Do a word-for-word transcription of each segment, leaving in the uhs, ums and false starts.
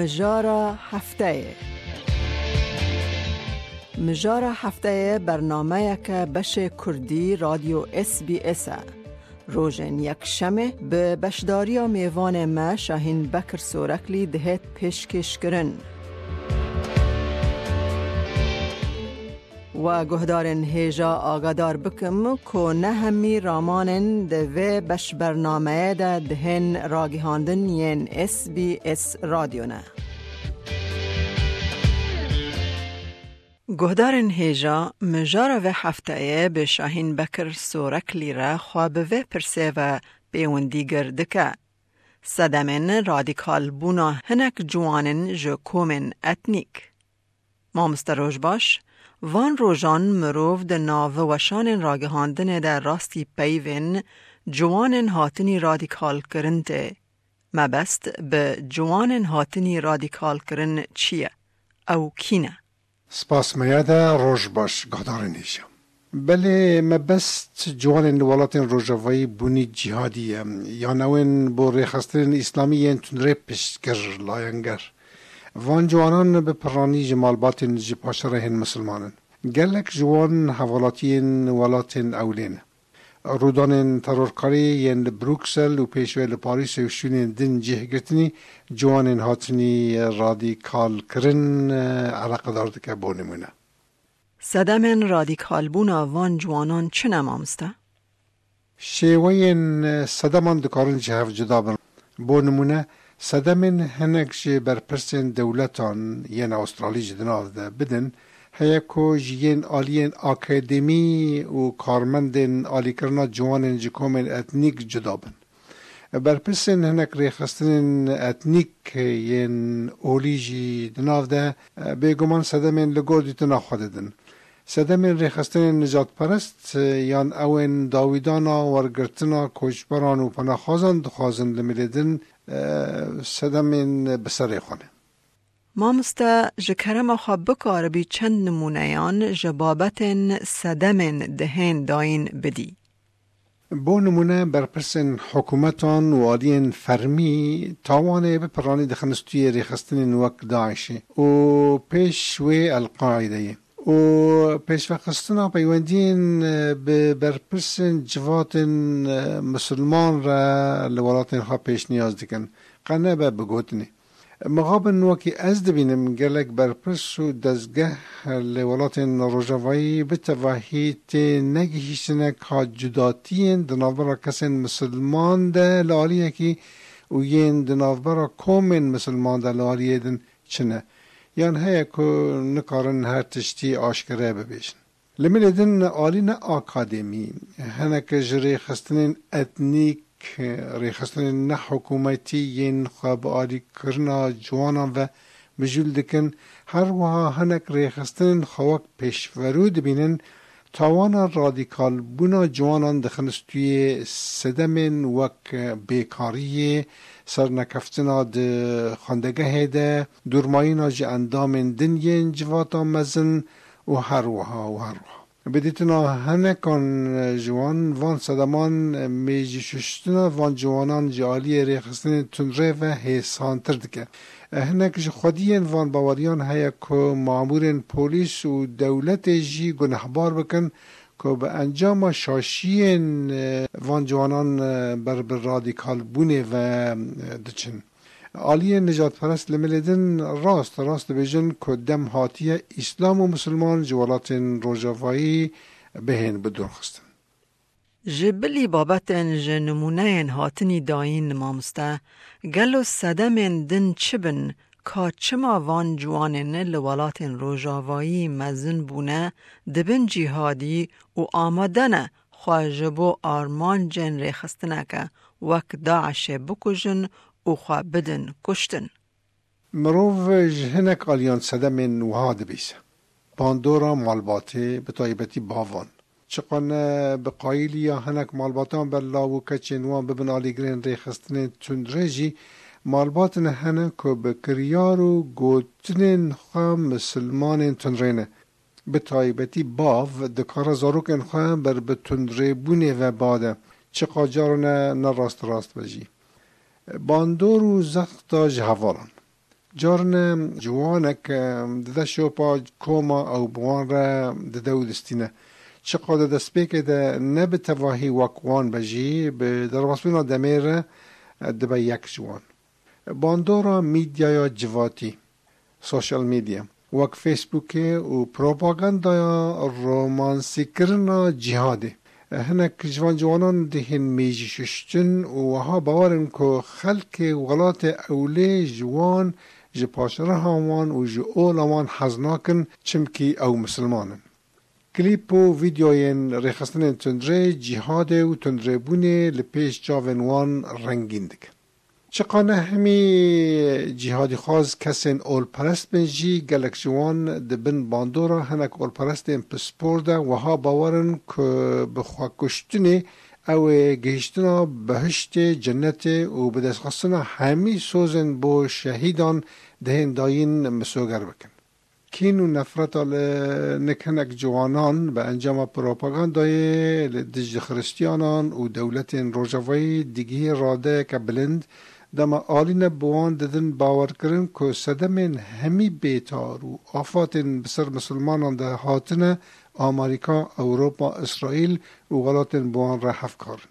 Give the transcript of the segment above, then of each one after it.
Mijara hefteyê. Mijara hefteyê bernameyeke beşê kurdî Radyo S B S e. Rojên yekşemê bi beşdariya mêvanê me Şahîn Bekir Soreklî dihêt pêşkêşkirin. We guhdarên hêja agadar bikim ku ne hemî ramanên di vê beşbernameyê de dihên ragihandin yên S B S Radyo ne. Guhdarên hêja, mijara vê hefteyê bi Şahîn Bekir Soreklî re xwe bi vê pirsê ve pêwendîgir dike. Sedemên radîkalbûna hinek ciwanên ji komên etnîk. Mamoste Rojbaş, van rojan mirov di nav weşanên ragihandinê de rastî peyvên ciwanên hatinî radîkalkirin tê. Mebest bi ciwanên hatinî radîkalkirin çi ye? Ew kî ne? Spas me ya de roj baş, guhdarên hêja. Belê mebest ciwanên li welatên rojavayî bûnî cîhadî ye, yan ew ên bo rêxistinên îslamî yên tundrê piştgir, layenger. Van ciwanan bi piranî ji malbatên ji paşerehên misilman in. Gelek ji wan hevalatiyên welatên ewlê ne. Rûdanên terorkarî yên li Bruksel û pêşve li Parîsê û şûnên din cih girtinî, ciwanên hatinî radîkalkirin, e, eleqedar dike, bo nimûne. Sedemên radîkalbûna van ciwanan çi ne, mamoste? Şêweyên, e, sedeman dikarin ji hev cuda bin. Bo nimûne, sedemên hinek ji berpirsên dewletan yên Awustralî jî di nav de bidin, heye ku ji yên aliyên akademî û karmendên alîkirina ciwanên ji komên etnîk cuda bin. Berpirsên hinek rêxistinên etnîk yên olî jî di nav de, e, bêguman sedemên li gor dîtina xwe didin. Sedemên rêxistinên nijadperest, e, yan ew ên dawîdana wergirtina koçberan û penaxwazan dixwazin li milê din, e, sedemên bi serê xwe ne. Mamoste, ji kerema xwe bikaribî çend nimûneyan ji babetên sedemên dihên dayîn bidî? Bo nimûne, berpirsên hikûmetan û aliyên fermî tawanê bi piranî dixin stûyê rêxistinên wek DAIŞê û pêş wê El-Qaîdeyê. Û pêşvexistina peywendiyên, e, bi berpirsên civatên, e, misilman re li welatên xwe pêşniyaz dikin. Qe nebe bi gotinê. Mixabin wekî ez dibînim, gelek berpirs û dezgeh li welatên rojavayî bi tevahî tê negihîştine ka cudatiyên di navbera kesên misilman de li aliyekî û yên di navbera komên misilman de li aliyê din çi ne, yan heye ku nikarin her tiştî aşkere bibêjin. Li milê din alî ne akademî, hinek ji rêxistinên etnîk, rêxistinên nehikûmetî yên xwe bi alîkirina ciwanan ve mijûl dikin, her wiha hinek rêxistinên xwe wek pêşverû dibînin, tawana radîkalbûna ciwanan dixin stûyê sedemên wek bêkariyê, sernekeftina di xwendegehê de, dûrmayîna ji endamên din yên civata mezin, û her wiha û her wiha. Bi dîtina hinekan ji wan, van sedeman mêjîşuştina van ciwanan ji aliyê rêxistinên tundrê ve hêsantir dike. Hinek ji xwediyên van baweriyan heye ku mamûrên polîs û dewletê jî gunehbar bikin ku bi encama şaşiyên van ciwanan ber bi radîkalbûnê ve diçin. Aliyên nijadperest li milê din rast rast dibêjin ku dem hatiye Îslam û Misilman ji welatên Rojavayî bihên bidûrxistin. Ji bilî babetên ji nimûneyên hatinî dayîn, mamoste, gelo sedemên din çi bin, ka çima van ciwanên li welatên Rojavayî mezin bûne, dibin cîhadî û amade ne xwe ji bo armancên rêxistineke wek DAIŞê bikujin û xwe bidin kuştin. Mirov ji hinek aliyan sedemên wiha dibîse. Bandora malbatê, bi taybetî bavan. Çiqa ne bi qayîliya hinek malbatan be law û keçên wan bibin alîgirên rêxistinên tundrê jî, malbatine hene ku bi kiryar û gotinên xwe misilmanên tundrê ne. Bi taybetî bav dikare zarokên xwe ber bi tundrêbûnê ve bade, çiqa carine ne rast rast be jî. Bandor û zexta ji hevalan. Carine ciwanek, e, dide şopa koma ew bi wan re dide û distîne. Çiqa di destpêkê de ne bi tevahî wek wan be jî, bi derbasbûna demê re, e, dibe yek ji wan. Bandora medyaya civatî, social media, wek Facebookê û propagandaya romansîkirina cîhadê. Hinek ji van ciwanan dihên mêjî şuştin û wiha bawer in ku xelkê welatê ewlê ji wan, ji paşriha wan û ji ola wan hez nakin, çimkî ew misilman in. Klîp û vîdeoyên rêxistinên tundrê, cîhadê û tundrêbûnê li pêş çavên wan rengîn dikin. Çiqa ne hemî cîhadîxwaz kesên olperest bin jî, gelek ji wan di bin bandora hinek olperestên pispor de wiha bawer in ku bi xwekuştinê ew ê gihiştina behiştê, cennetê û bi destxistina hemî sozên bo şehîdan dihên dayîn misoger bikin. Kîn û nefreta li nik hinek ciwanan bi encama propagandayê li dijî Xiristiyanan û dewletên Rojavayî digihê radeyeke bilind, dema alî ne bi wan didin bawerkirin ku sedemên hemî bêtar û afatên bi ser misilmanan de hatine Amerîka, Ewropa, Îsraîl û welatên bi wan re hevkar in.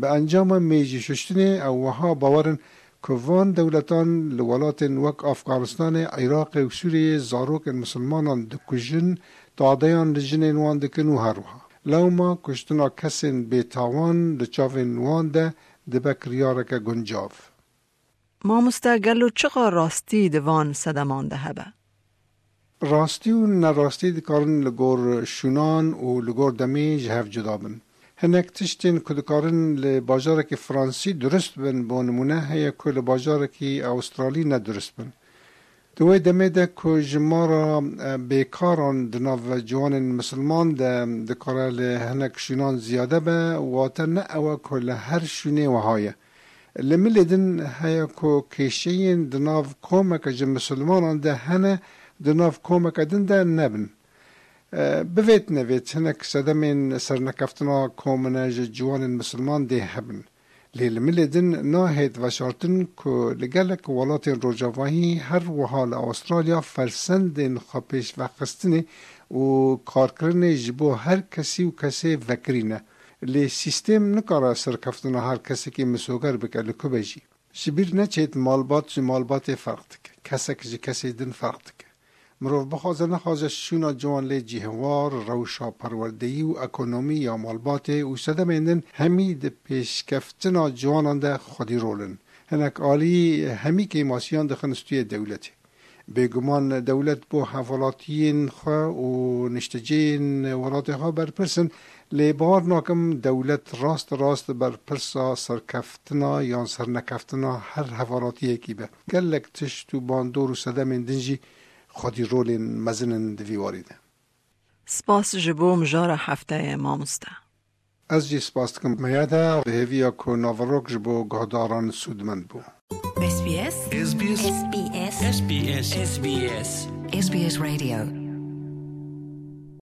Bi encama mêjî şuştinê ew wiha bawer in ku van dewletan li welatên wek Afganistanê, Iraqê û Sûriyeyê zarokên misilmanan dikujin, tadeyan li jinên wan dikin û her wiha lewma kuştina kesên bêtawan li çavên wan de dibe kiryareke guncav. Mamoste, gelo çiqa rastî di van sedeman de hebe? Rastî û nerastî dikarin li gor şûnan û li gor demê ji hev cuda bin. Hinek tiştên ku dikarin li bajarekî Fransî durust bin, bo nimûne, heye ku li bajarekî Awustralî ne durust bin. Di wê demê de ku jimara, e, bêkaran di nav ciwanên misilman de dikare li hinek şûnan ziyade be, wate ne ew e ku li her şûnê wiha ye. Li milê din heye ku kêşeyên di nav komeke ji misilmanan de hene, di nav komeke din de nebin. E, bivêt nevêt hinek sedemên sernekeftina komine ji ciwanên misilman dê hebin. Lê li milê din nahêt veşartin ku li gelek welatên rojavayî, her wiha li Awustralya, fersendên xwepêşvexistinê û karkirinê ji bo her kesî û kesê vekirî ne. Lê sîstêm nikare serkeftina her kesekî misoger bike, li ku be jî. Ji bîr neçêt, malbat ji malbatê ferq dike, kesek ji kesê din ferq dike. Mirov bixwaze nexwaze şûna ciwan lê cihewar, rewşa perwerdeyî û ekonomî ya malbatê û sedemên din hemî di pêşkeftina ciwanan de xwedî rol in. Hinek alî hemî kêmasiyan dixin stûyê dewletê. Bêguman dewlet bo hevalatiyên xwe û niştecihên welatê xwe berpirs in, lê bawer nakim dewlet rast rast berpirsa serkeftina yan sernekeftina her hevalatiyekî be. Gelek tişt û bandor û sedemên din jî xwedî rolên mezin in di vî warî de. Spas ji bo mijara hefteyê, mamoste. Ez jî spas dikim. Meyada bi hêviya ku naverok ji bo guhdaran sûdmend bû. S B S. S B S. S B S. S B S. S B S. S B S Radio.